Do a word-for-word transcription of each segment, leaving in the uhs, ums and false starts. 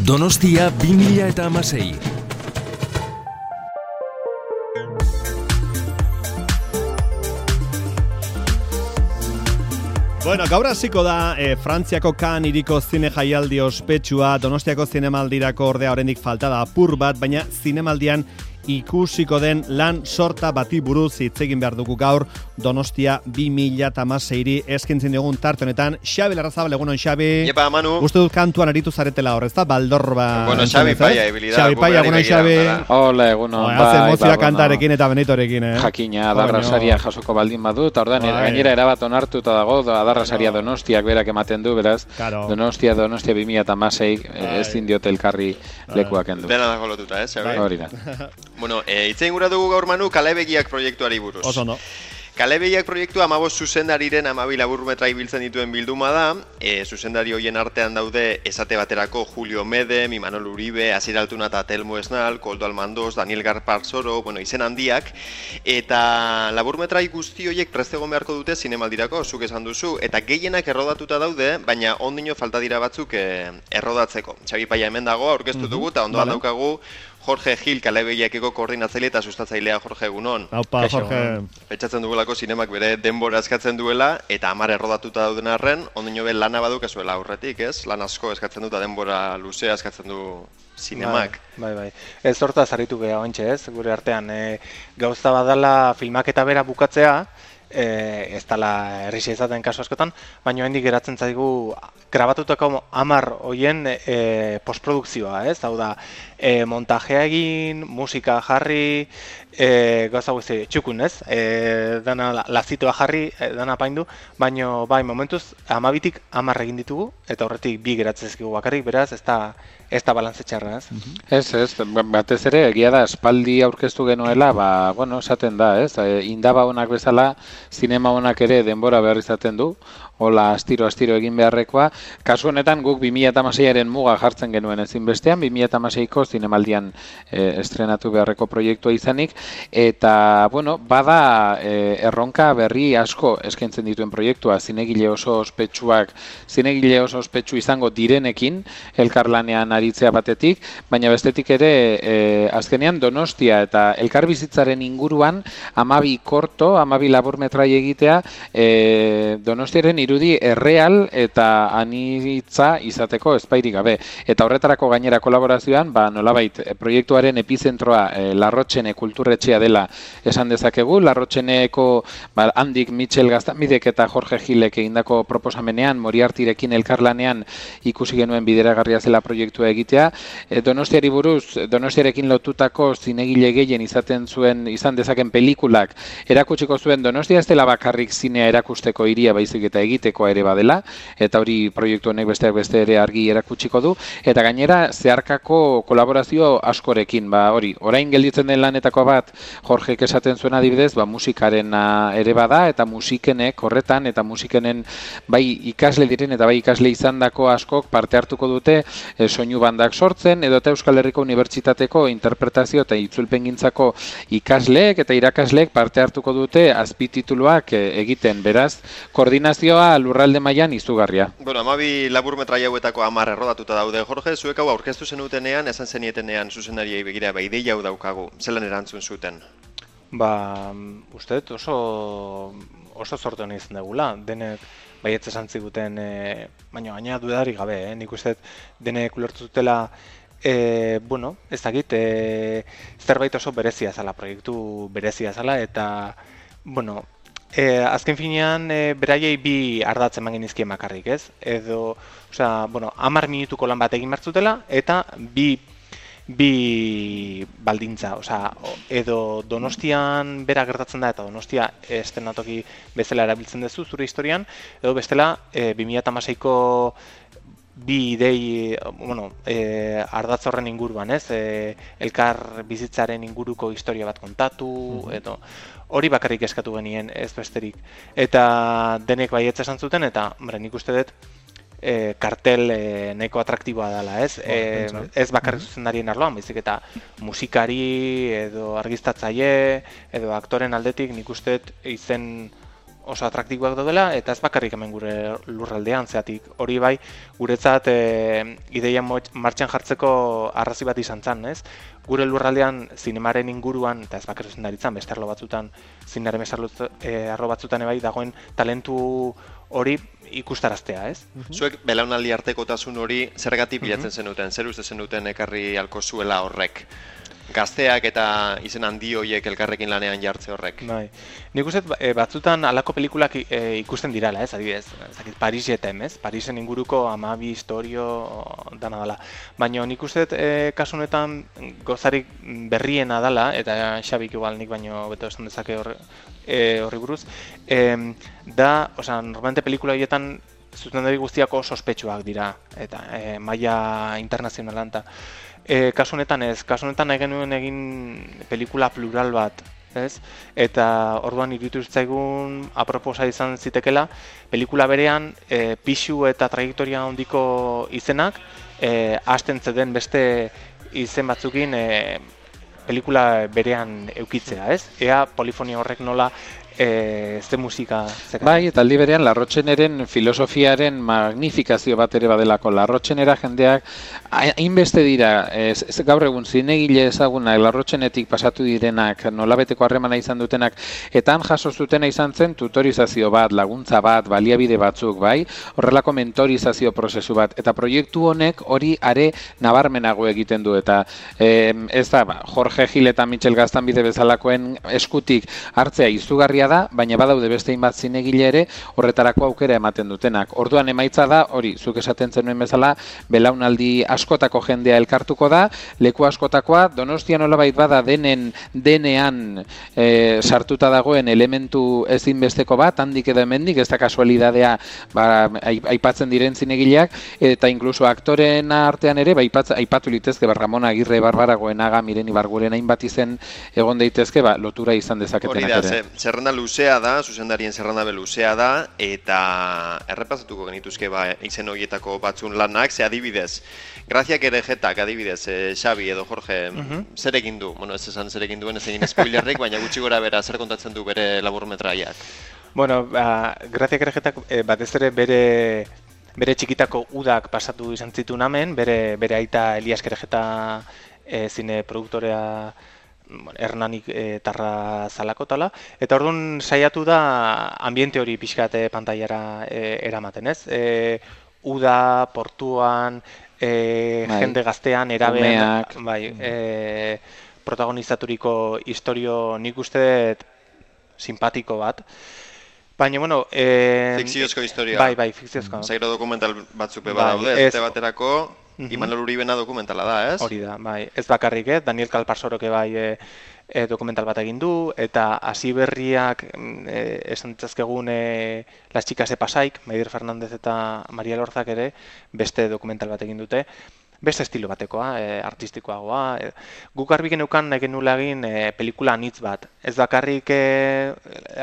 Donostia bi mila hamasei. Bueno, gaur hasiko da eh, Frantziako Cannes hiriko zine jaialdi ospetsua. Donostiako zinemaldirako ordea oraindik falta da apur bat, baina zinemaldian ikusiko den lan sorta bati buruz hitz egin behar dugu gaur Donostia bi mila hamaseiri eskintzen dugun tarte honetan. Xabi Larrazabal, egunon Xabi. Iepa, Manu. Uste dut kantuan aritu zaretela hor, ez da? Baldorba. Bueno, Xabi Paia, ebilidad. Xabi Paia, egunon Xabi. Hola, egunon. Bai, haze emozioa kantarekin eta benitorekin, eh? Jakina, adarrasaria jasoko baldin badu, eta ordan gainera erabat onartuta dago, adarrasaria Donostiak berak ematen du, beraz, Donostia, Donostia bi mila hamasei ezin diote elkarri lekuak endu. Dena dago lotuta, eh, Xabi? Hori da. Bueno, e, itzein gura dugu gaur Manu, Kalebegiak proiektuari buruz. Oso no. Kalebegiak proiektua hamabost zuzendariren hamabi laburmetra ibiltzen dituen bilduma da. E, zuzendari hoien artean daude esate baterako Julio Medem, Imanol Uribe, Asier Altuna eta Telmo Esnal, Koldo Almandoz, Daniel Garparzoro, bueno, izen handiak. Eta laburmetrai guzti horiek prest egon beharko dute zinemaldirako, zuk esan duzu. Eta gehienak errodatuta daude, baina ondino falta dira batzuk e, errodatzeko. Xabi Paia hemen dago, aurkeztu dugu, eta ondoan daukagu Jorge Gil, Kalebegiakeko koordinatzaile eta sustatzailea. Jorge, egunon. Aupa, Jorge. Pentsatzen dugulako zinemak bere denbora eskatzen duela, eta hamar errodatuta dauden arren, ondino be lana baduk ezuela aurretik, ez? Lan asko eskatzen du eta denbora luzea eskatzen du zinemak. Bai, bai, bai. Ez hortaz aritu geha ontxe, ez? Gure artean, e, gauza badala filmaketa bera bukatzea, e, ez dala errixi ezaten kasu askotan, baina hendik geratzen zaigu grabatutako hamar hoien e, postprodukzioa, ez? Hau da, e, montajea egin, musika jarri, e, gauza guzti txukun, ez? E, dana lazitoa jarri, e, dana paindu, baina bai, momentuz, hamabitik hamar egin ditugu, eta horretik bi geratzen zizkigu bakarrik, beraz, ez da, ez da balantze txarra, ez? Ez, ez, batez ere, egia da, espaldi aurkeztu genuela, ba, bueno, esaten da, ez? Indaba honak bezala, zinema honak ere denbora behar izaten du, hola astiro-astiro egin beharrekoa. Kasu honetan guk bi mila hamaseiaren muga jartzen genuen ezinbestean, bi mila hamaseiko zinemaldian e, estrenatu beharreko proiektua izanik, eta, bueno, bada e, erronka berri asko eskaintzen dituen proiektua, zinegile oso ospetsuak, zinegile oso ospetsu izango direnekin, elkarlanean aritzea batetik, baina bestetik ere, e, azkenean Donostia eta elkarbizitzaren inguruan, hamabi korto, hamabi laburmetrai egitea, e, Donostiaren irudi erreal eta anitza izateko espairik gabe. Eta horretarako gainera kolaborazioan, ba, nolabait, proiektuaren epizentroa e, Larrotxene kulturretxea dela esan dezakegu. Larrotxeneko ba, handik Michel Gaztamidek eta Jorge Gilek egindako proposamenean, Moriartirekin elkarlanean ikusi genuen bideragarria zela proiektua egitea. E, Donostiari buruz, Donostiarekin lotutako zinegile gehien izaten zuen, izan dezaken pelikulak erakutsiko zuen Donostia ez dela bakarrik zinea erakusteko hiria baizik eta egitekoa ere badela, eta hori proiektu honek besteak beste ere argi erakutsiko du, eta gainera zeharkako kolaborazio askorekin, ba hori, orain gelditzen den lanetako bat Jorgek esaten zuen adibidez, ba musikaren ere bada, eta musikenek horretan, eta musikenen bai ikasle diren, eta bai ikasle izandako askok parte hartuko dute e, soinu bandak sortzen, edo eta Euskal Herriko Unibertsitateko interpretazio eta itzulpengintzako ikasleek eta irakasleek parte hartuko dute azpitituluak e, egiten, beraz, koordinazioa lurralde mailan izugarria. Bueno, hamabi laburmetrai hauetako hamar errodatuta daude, Jorge, zuek hau aurkeztu zenutenean, esan zenietenean zuzendariei begira, ba, ideia hau daukagu, zelan erantzun zuten? Ba, uste dut oso, oso sortu honi izan degula, denek baietz esan ziguten, e, baina gaina dudarik gabe, eh? Nik uste dut denek ulertu dutela, e, bueno, ez dakit, e, zerbait oso berezia zala, proiektu berezia zala, eta, bueno, E, azken finean, e, beraiei bi ardatzen eman genizkien bakarrik, ez? Edo, osea, bueno, hamar minutuko lan bat egin martzutela, eta bi, bi baldintza, osea, edo Donostian bera gertatzen da, eta Donostia estenatoki bezala erabiltzen duzu zure historian, edo bestela, e, bi mila hamaseiko bi idei, bueno, e, ardatz horren inguruan, ez? E, elkar bizitzaren inguruko historia bat kontatu, edo hori bakarrik eskatu genien, ez besterik. Eta denek baietz esan zuten, eta hombre, nik uste dut e, kartel e, nahiko atraktiboa dela, ez? E, ez bakarrik zuzendarien arloan, baizik eta musikari, edo argiztatzaile, edo aktoren aldetik nik uste dut izen oso atraktikoak daudela, eta ez bakarrik hemen gure lurraldean, zeatik hori bai, guretzat e, ideia martxan jartzeko arrazi bat izan zen, ez? Gure lurraldean zinemaren inguruan, eta ez bakarrik zendaritzan, beste arlo batzutan, zinearen e, arlo batzutan ebai, dagoen talentu hori ikustaraztea, ez? Zuek belaunaldi artekotasun hori zergatik bilatzen zenuten, zer uste zenuten ekarri alko zuela horrek? Gazteak eta izen handi horiek elkarrekin lanean jartze horrek. Bai. Nik uste batzutan halako pelikulak e, ikusten dirala, ez? Adibidez, ezakit Paris jetem, ez? Parisen inguruko hamabi historio dana dela. Baina nik uste e, kasu honetan gozarik berriena dela, eta Xabik igual nik baino beto esan dezake horri e, buruz, e, da, osea, normalmente pelikula horietan zuzendari guztiak oso ospetsuak dira, eta e, maila internazionalan eta E, kasu honetan ez, kasu honetan nahi genuen egin pelikula plural bat, ez? Eta orduan iruditu zitzaigun aproposa izan zitekela, pelikula berean e, pixu eta trajektoria handiko izenak e, hasten zeden beste izen batzukin e, pelikula berean eukitzea, ez? Ea polifonia horrek nola e, ze musika zeka. Bai, eta aldi berean Larrotxeneren filosofiaren magnifikazio bat ere badelako. Larrotxenera jendeak hainbeste dira, ez, ez gaur egun zinegile ezagunak, Larrotxenetik pasatu direnak, nolabeteko harremana izan dutenak, eta han jaso zutena izan zen tutorizazio bat, laguntza bat, baliabide batzuk, bai, horrelako mentorizazio prozesu bat, eta proiektu honek hori are nabarmenago egiten du, eta eh, ez da, ba, Jorge Gil eta Michel Gaztanbide bezalakoen eskutik hartzea izugarria da, baina badaude beste hainbat zinegile ere horretarako aukera ematen dutenak. Orduan emaitza da, hori, zuk esaten zenuen bezala, belaunaldi askotako jendea elkartuko da, leku askotakoa, Donostia nolabait bada denen denean e, sartuta dagoen elementu ezinbesteko bat, handik edo hemendik, ez da kasualidadea ba, aipatzen diren zinegileak, eta inkluso aktoren artean ere, ba, aipatz, aipatu litezke, ba, Ramon Agirre, Barbara Goenaga, Miren Ibarguren hainbat izen egon daitezke, ba, lotura izan dezaketenak ere. Hori da, zerrenda luzea da, zuzendarien zerrenda be luzea da, eta errepasatuko genituzke ba, izen horietako batzun lanak, ze adibidez, Grazia Kerejetak adibidez, eh, Xabi edo Jorge, uh-huh. zer egin du? Bueno, ez esan zer egin duen, ez egin spoilerrik, baina gutxi gora bera zer kontatzen du bere laburmetraiak. Bueno, ba, Grazia Kerejetak eh, batez ere bere bere txikitako udak pasatu izan zituen hemen, bere, bere aita Elias Kerejeta eh, zine produktorea Hernanik e, tarra zalakotala, eta orduan saiatu da ambiente hori pixkate pantailara e, eramaten, ez? E, uda, portuan, e, jende gaztean, erabean, bai, e, protagonizaturiko historio nik uste simpatiko bat. Baina, bueno... E, fikziozko historia. Bai, bai, fikziozko. Zairo dokumental batzuk beba bai, daude, ez baterako... Imanol Uribena dokumentala da, ez? Hori da, bai. Ez bakarrik, eh? Daniel Kalparsoroke bai e, e, dokumental bat egin du, eta hasi berriak e, esan ditzazkegun e, Las Chicas de Pasaik, Maider Fernandez eta Maria Lorzak ere, beste dokumental bat egin dute. Beste estilo batekoa, e, artistikoagoa. E, guk arbi geneukan genula egin e, pelikula anitz bat. Ez bakarrik e,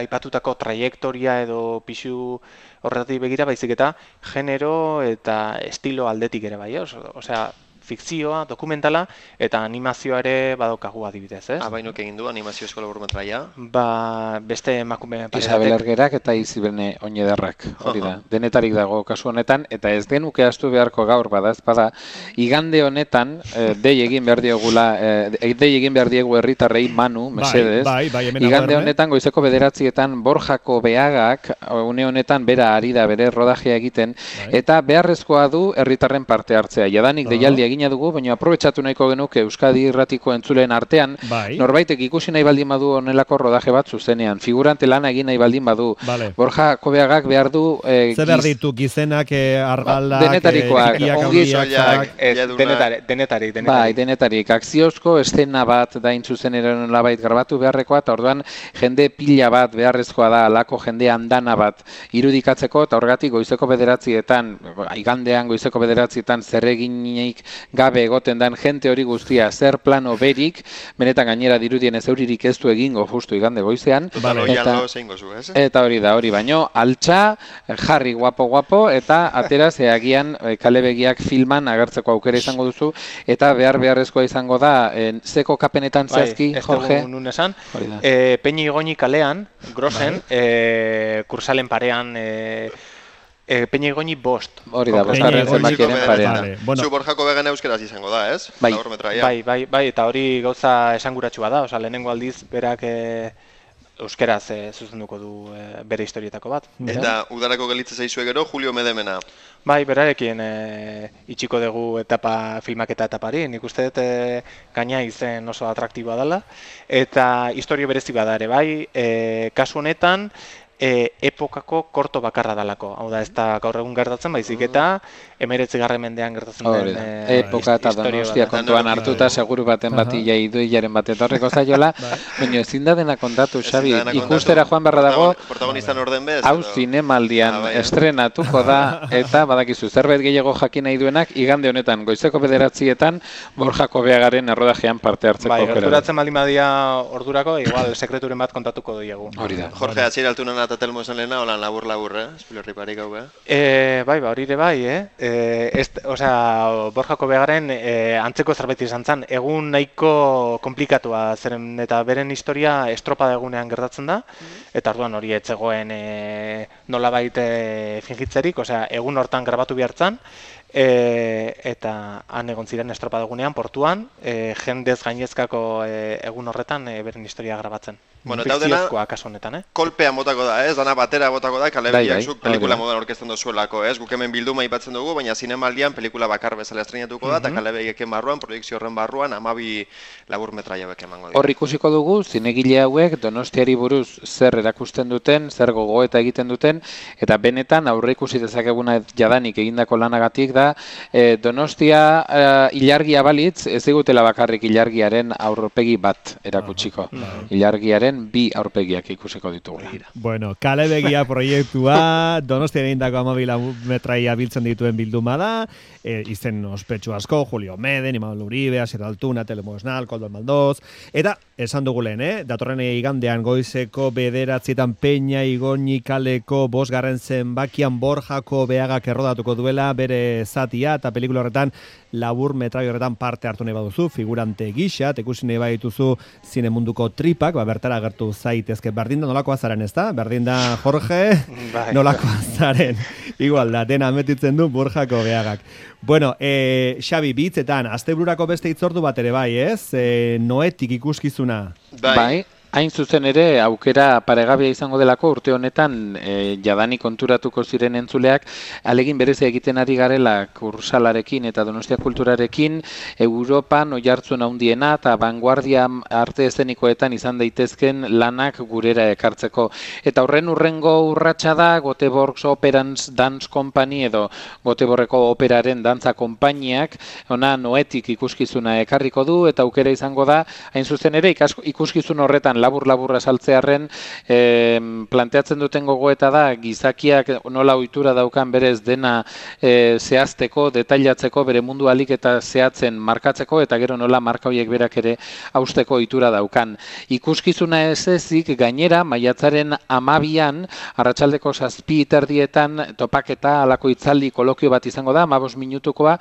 aipatutako trajektoria edo pixu horretatik begira, baizik eta genero eta estilo aldetik ere bai, osea, fikzioa, dokumentala eta animazioa ere badaukagu adibidez, ez? Ah, bainok egin du animaziozko laburmetraia? Ba, beste emakume pareatek. Isabel Ergerak eta Izibene Oñederrak, hori da. Denetarik dago kasu honetan, eta ez genuke astu beharko gaur bada, ez bada, igande honetan, eh, dei egin behar diogula, eh, dei egin behar diegu herritarrei Manu, mesedez, bai, bai, bai, igande honetan goizeko bederatzietan Borjako Beagak, une honetan bera ari da bere rodajea egiten, bai. Eta beharrezkoa du herritarren parte hartzea. Jadanik uh-huh. deialdi egina dugu, baina aprobetxatu nahiko genuke Euskadi Irratiko entzuleen artean, bai. Norbaitek ikusi nahi baldin badu honelako rodaje bat zuzenean, figurante lana egin nahi baldin badu, vale. Borja Kobeagak behar du... Eh, Zer behar ditu, gizenak, eh, argalak, denetarikoak, eh, ongi soilak, denetarik, denetarik. Bai, denetarik. Akziozko eszena bat da intzuzeneren labait garbatu beharrekoa, eta orduan jende pila bat beharrezkoa da, alako jende andana bat irudikatzeko, eta horregatik goizeko bederatzietan, igandean goizeko bederatzietan zer eginik gabe egoten dan jente hori guztia zer plano berik, benetan gainera dirudien ez euririk ez du egingo justu igande goizean. Total, eta, zeingo zu, ez? eta hori da, hori baino, altxa, jarri guapo-guapo, eta atera zeagian kalebegiak filman agertzeko aukera izango duzu, eta behar beharrezkoa izango da, en, zeko kapenetan zehazki, bai, Jorge? Bai, nun esan, e, Peñi Igoñi kalean, grosen, bai. e, kursalen parean, e, e, Peñi Igoñi bost. Hori da, bostarren zenbakiaren parean. Vale. Bueno. Zu Borjako began euskeraz izango da, ez? Bai. bai, bai, bai, eta hori gauza esanguratsua da, oza, lehenengo aldiz berak e, euskeraz e, zuzenduko du e, bere historietako bat. Eta udarako gelitze zaizue gero, Julio Medemena. Bai, berarekin e, itxiko dugu etapa, filmaketa etapari, nik uste dut e, gaina izen oso atraktiboa dela, eta historio berezi bada ere, bai, e, kasu honetan, E, epokako korto bakarra dalako. Hau da, ez da gaur egun gertatzen, baizik eta emeretzigarren mendean gertatzen den e, epoka eta Donostia kontuan hartuta seguru baten bati jaiduilaren bat etorreko zaiola, baina ezin da dena kontatu, Xabi, ikustera joan beharra dago, protagonistan orden bez, hau zinemaldian estrenatuko da, eta badakizu, zerbait gehiago jakin nahi duenak, igande honetan, goizeko bederatzietan, Borjako Beagaren errodajean parte hartzeko. Bai, gerturatzen baldin badia ordurako, igual, sekreturen bat kontatuko duiegu. Hori da. Jorge, atxera altunan eta telmo esan lehena, holan labur-labur, eh? Espilorri parik hau, eh? E, bai, ba, hori ere bai, eh? E, ez, osea, Borjako Beagaren e, antzeko zerbait izan zen, egun nahiko komplikatua zeren eta beren historia estropada egunean gertatzen da, eta orduan hori etzegoen e, nolabait e, fingitzerik, osea, egun hortan grabatu bihartzan, E, eta han egon ziren estropadugunean portuan, e, jendez gainezkako e, egun horretan e, beren historia grabatzen. Bueno, eta dena, kasu honetan, eh? kolpea motako da, ez? Dana batera botako da, kalebegiak zuk pelikula modan orkesten dozuelako, ez? Guk hemen bilduma aipatzen dugu, baina zinemaldian pelikula bakar bezala estrenatuko da, eta kalebegieken barruan, produkzio horren barruan, amabi labur metraia hauek emango dira. Hor ikusiko dugu, zinegile hauek Donostiari buruz zer erakusten duten, zer gogoeta egiten duten, eta benetan aurre ikusi dezakeguna jadanik egindako lanagatik da, e, Donostia e, ilargia balitz, ez digutela bakarrik ilargiaren aurpegi bat erakutsiko. Ilargiaren bi aurpegiak ikusiko ditugula. Bueno, kalebegia proiektua, Donostian egindako amabi metraia biltzen dituen bilduma da, e, izen ospetsu asko, Julio Meden, Imanol Uribe, Asier Altuna, Telmo Esnal, Koldo Almaldoz, eta esan dugu lehen, eh? Datorren igandean goizeko bederatzietan Peña Igoñi kaleko bosgarren zenbakian Borjako Beagak errodatuko duela bere zatia, eta pelikula horretan labur metrai horretan parte hartu nahi baduzu, figurante gisa, tekusi nahi badituzu zine munduko tripak, ba, bertara agertu zaitezke. Berdin da nolakoa zaren, ez da? Berdin da Jorge, nolakoa zaren. Igual da, dena ametitzen du Borjako Beagak. Bueno, e, Xabi, bitzetan, astebururako beste hitzordu bat ere bai, ez? E, noetik ikuskizuna. Bai. bai. Hain zuzen ere, aukera paregabea izango delako urte honetan e, jadani konturatuko ziren entzuleak, alegin berezia egiten ari garela kursalarekin eta Donostia kulturarekin, Europan oihartzun handiena eta vanguardia arte eszenikoetan izan daitezken lanak gurera ekartzeko. Eta horren urrengo urratsa da Göteborgs Operans Dance Company edo Göteborgeko operaren dantza konpainiak, ona noetik ikuskizuna ekarriko du, eta aukera izango da, hain zuzen ere, ikuskizun horretan labur-laburra saltzearren e, planteatzen duten gogoeta da gizakiak nola ohitura daukan berez dena e, zehazteko, detailatzeko, bere mundu alik eta zehatzen markatzeko, eta gero nola marka horiek berak ere hausteko ohitura daukan. Ikuskizuna ez ezik gainera maiatzaren amabian, arratsaldeko zazpi terdietan topaketa alako itzaldi kolokio bat izango da, amabost minutukoa,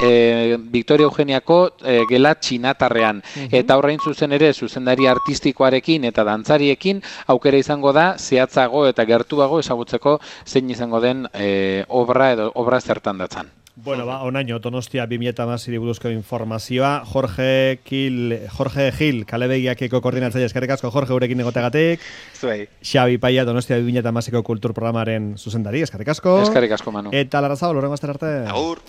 e, Victoria Eugeniako e, gela txinatarrean. Eta horrein zuzen ere, zuzendari artistikoarekin eta dantzariekin aukera izango da zehatzago eta gertuago ezagutzeko zein izango den e, obra edo obra zertan datzan. Bueno, ba, onaino, Donostia bi mila hamasei buruzko informazioa, Jorge Gil, Jorge Gil, kalebegiakeko koordinatzaile, eskerrik asko, Jorge, gurekin egoteagatik. Zuei. Xabi Paia, Donostia bi mila hamaseiko kultur programaren zuzendari, eskerrik asko. Eskerrik asko, Manu. Eta Larrazabal, horrengo aster arte. Agur.